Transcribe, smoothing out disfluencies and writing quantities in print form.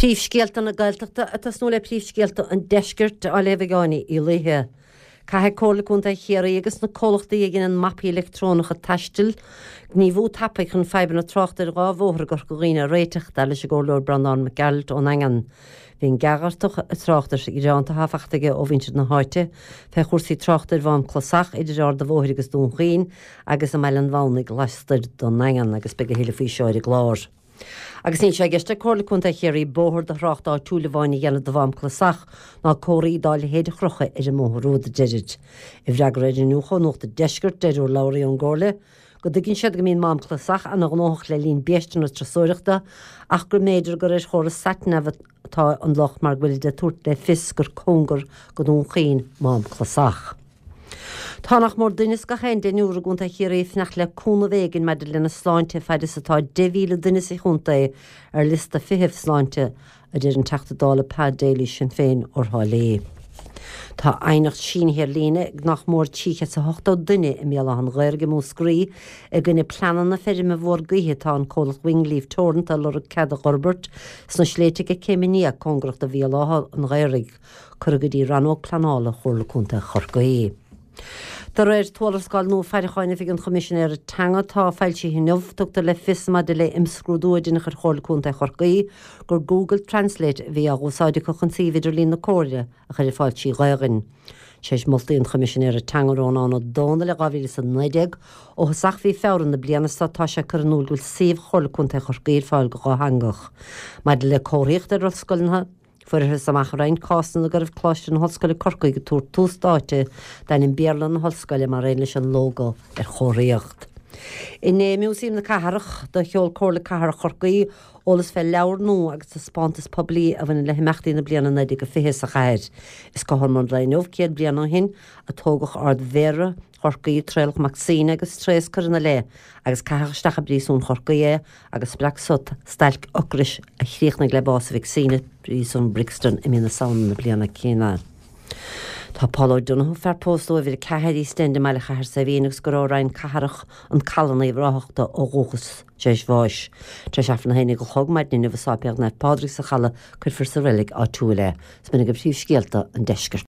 Príomhscéalta na Gaeltachta ag tosnú le príomhscéalta an Deiscirt á léamh ag Áine Uí Laoithe. Caithfidh Comhairle Contae Chiarraí agus na comhlachtaí a dhéanann mapaí leictreonacha taistil gníomhú tapaidh chun fadhbanna tráchta ar dhá bhóthar i gCorca Dhuibhne a réiteach, dar leis an gComhairleoir Breandán Mac Gearailt ón nDaingean. Bhí an gearrthach tráchta gearánta atá faighte aige ó mhuintir na háite fé chúrsaí tráchta ar Mhám Clasach idir Ard a' Bhóthair agus Dún Chaoin agus i mBaile an Mhamhnaigh lastoir den nDaingean agus beidh a thuilleadh faoi seo ar an gclár. Agus níl sé i gceist ag Comhairle Contae Chiarraí bóthar do thrácht áitiúil amháin a dhéanamh de Mhám Clasach ná comharthaí dá leithéid a chrochadh ar an mbóthar úd, a deirid. I bhfreagra ar iniúchadh ó Nuacht an Deiscirt, deir urlabhraí ón gComhairle go dtuigeann siad go mbíonn Mám Clasach ana-ghnóthach le linn biaisteanna turasóireachta ach go mb'fhéidir gur ar chóras satnav atá an locht mar go bhfuilid ag tabhairt le fios gur cóngar go Dún Chaoin Mám Clasach. Tá nach mór duine as gach aon deichniúr i gContae Chiarraí ag fanacht le cúnamh éigin maidir lena sláinte fad is atá 10,000 duine sa chontae ar liosta feithimh sláinte, a deir an Teachta Dála Pa Daly, Sinn Féin, ó Thrá Lí. Tá aighneacht sínithe ar líne ag nach mór 380 duine i mBéal Átha an Ghaorthaidh i Múscraí i gcoinne pleananna feirme mhór gaoithe atá an comhlacht Wingleaf Teoranta ag lorg cead a dh'fhorbairt sna sléibhte ag Céim an Fhia cóngarach do Bhéal Átha an Ghaorthaidh. Curtha go dtí Rannóg Pleanála Chomhairle Contae Chorcaí. De réir tuarascáil nua faireacháin Oifig an Choimisinéara Teanga atá foilsithe inniu, tugtar le fios maidir le imscrúdú a deineadh ar Chomhairle Contae Chorcaí gur Google Translate a bhí á úsáid acu chun suíomh idirlín na Comhairle a chur ar fáil trí Ghaelainn. Tar éis moltaí an Choimisinéara Teanga Rónán Ó Domhnaill i 2019, ó thosach mhí Feabhra na bliana seo tá sé curtha in iúl go bhfuil suíomh Chomhairle Contae Chorcaí ar fáil go dhátheangach. Maidir le comharthaíocht ar ollscoileanna, Fuarthas amach i roinnt cásanna go raibh Coláiste na hOllscoile Corcaigh ag tabhairt tús áite d'ainm Béarla na hollscoile mar aon leis an lógó ar chomharthaíocht. Inné i Músaem na Cathrach, do sheol Comhairle Cathrach Chorcaí eolas fé leabhar nua agus taispeántas poiblí a bhaineann le himeachtaí na bliana 1920 sa chathair. Is cothrom an lae inniu 100 bliain ó shin a toghadh Ard-Mhéara Chorcaí, Traolach Mac Suibhne agus tréas curtha ina leith agus caitheadh isteach i bpríosún Chorcaí é agus spreag so stailc ocrais a chríochnaigh le bás Mhic Suibhne i bpríosún Brixton i mí na Samhna na bliana céanna. Tá Paul O'Donoghue, fear pósta ó uimhir 4 East End i mbaile Chathair Saidhbhín agus gur ó Rinn Cathrach, An Caladh Uíbh Ráthach dó ó dhúchas, tar éis bháis. Tar éis Aifreann a haon déag a chlog maidin inniu i Sáipéal Naomh Pádraig sa Chaladh cuirfear sa reilig áitiúil é. Is b'in agaibh príomhscéalta an deiscirt.